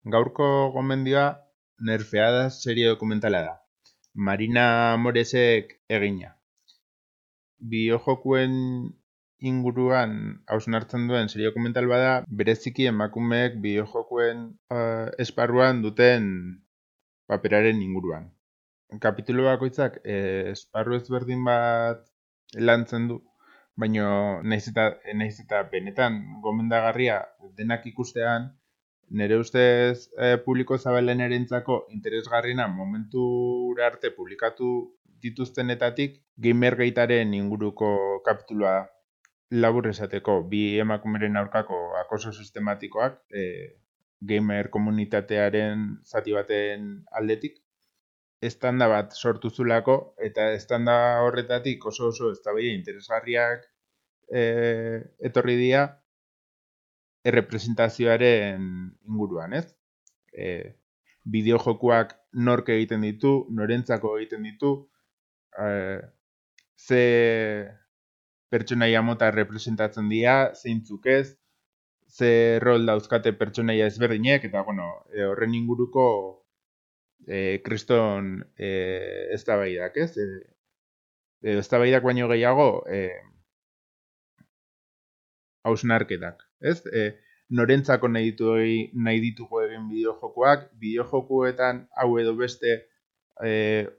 Gaurko gomendioa Nerfeadas serie dokumentala da. Marina Moresek egina. Bideojokuen inguruan hausnartzen duen serie dokumental bada, bereziki emakumeek bideojokuen esparruan duten paperaren inguruan. Kapitulu bakoitzak esparru ezberdin bat lantzen du, baina naiz eta benetan gomendagarria denak ikustean, nire ustez publiko zabalenarentzako interesgarriena momentura arte publikatu dituztenetatik Gamergatearen inguruko kapitulua da. Labur esateko, bi emakumeren aurkako acoso sistematikoak gamer komunitatearen zati baten aldetik estanda bat sortu zulako, eta estanda horretatik oso eztabaida interesgarriak etorri dira errepresentazioaren inguruan, ez? Bideojokoak nork egiten ditu, norentzako egiten ditu, ze pertsonaia mota representatzen dira, zeintzuk ez, ze rol dauzkate pertsonaia ezberdinek, eta horren inguruko kriston eztabaidak, ez? Eztabaidak baino gehiago hausnarketak, ez? Norentzako nahi ditugu egin bideojokoak, bideojokoetan hau edo beste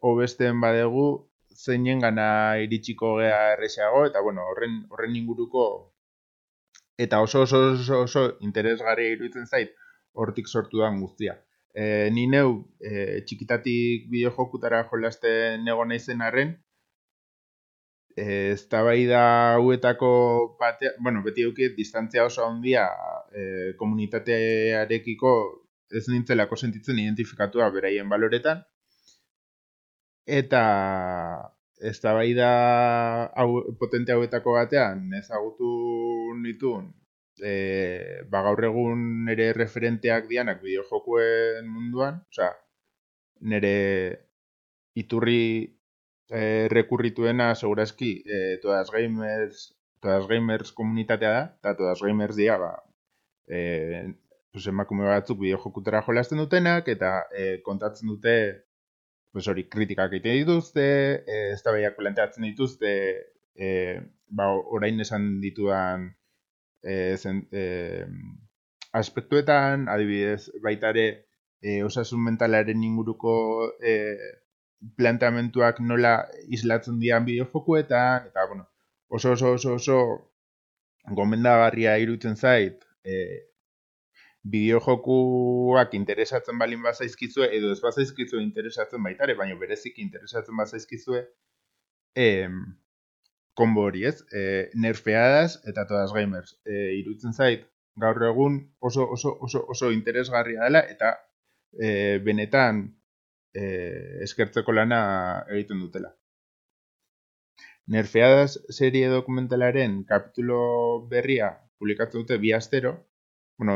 hobesteen badegu, zeinen gana iritsiko gea erresago, eta horren inguruko eta oso interesgarria iruditzen zait hortik sortu da guztia. Ni neu txikitatik bideojokutara jolasten egon naizen arren, eztabaida hauetako batean, beti eduki distantzia oso handia komunitatearekiko ez nintzelako sentitzen identifikatua beraien baloretan, eta eztabaida potente hauetako batean ezagutu nituen gaur egun nire referenteak dianak bideojokoen munduan, nire iturri rekurrituena segurazki Todas Gamers komunitatea da, eta Todas Gamers dira emakume batzuk bideojokutara jolasten dutenak, eta kontatzen dute kritikak egiten dituzte, eztabaidak planteatzen dituzte, orain esan ditudan aspektuetan, adibidez, baita ere osasun mentalaren inguruko planteamentuak nola islatzen dian bideojokoetan, eta oso gomendagarria iruditzen zait bideojokuak interesatzen balin bazaizkizue, edo ez bazaizkizue interesatzen baita ere, baina bereziki interesatzen bazaizkizue, konbo hori, ez? Nerfeadas eta Todas Gamers. Iruditzen zait, gaur egun oso interesgarria dela, eta benetan eskertzeko lana egiten dutela. Nerfeadas serie dokumentalaren kapitulo berria publikatzen dute 2 astero,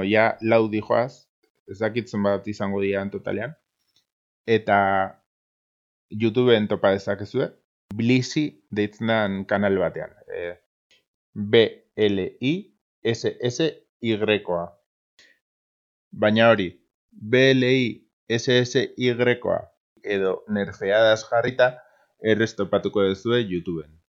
ja 4 dijoaz, ez dakit zenbat izango dira totalean, eta YouTubeen topa dezakezue, Blissy deitzen den kanal batean. BLISSY-a. Baina hori, BLISSY-a edo Nerfeadas jarrita errez topatuko duzue YouTubeen.